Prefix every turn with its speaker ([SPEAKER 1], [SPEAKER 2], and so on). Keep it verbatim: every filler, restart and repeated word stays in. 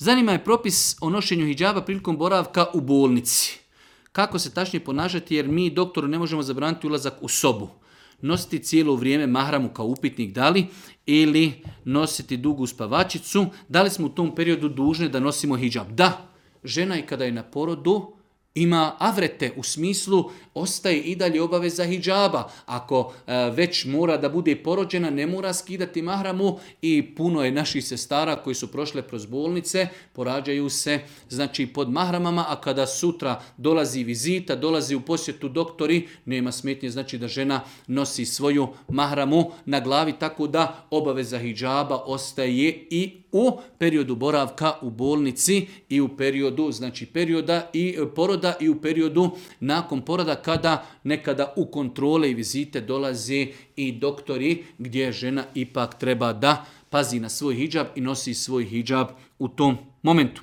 [SPEAKER 1] Zanima je propis o nošenju hidžaba prilikom boravka u bolnici. Kako se tačnije ponašati jer mi doktoru ne možemo zabraniti ulazak u sobu. Nositi cijelo vrijeme mahramu kao upitnik da li ili nositi dugu spavačicu. Da li smo u tom periodu dužni da nosimo hidžab? Da, žena i kada je na porodu ima avrete, u smislu ostaje i dalje obaveza hidžaba. Ako e, već mora da bude porođena, ne mora skidati mahramu i puno je naših sestara koji su prošle kroz bolnice, porađaju se znači pod mahramama, a kada sutra dolazi vizita, dolazi u posjetu doktori, nema smetnje znači da žena nosi svoju mahramu na glavi, tako da obaveza hidžaba ostaje i u periodu boravka u bolnici i u periodu, znači perioda i poroda i u periodu nakon poroda kada nekada u kontrole i vizite dolaze i doktori gdje žena ipak treba da pazi na svoj hidžab i nosi svoj hidžab u tom momentu.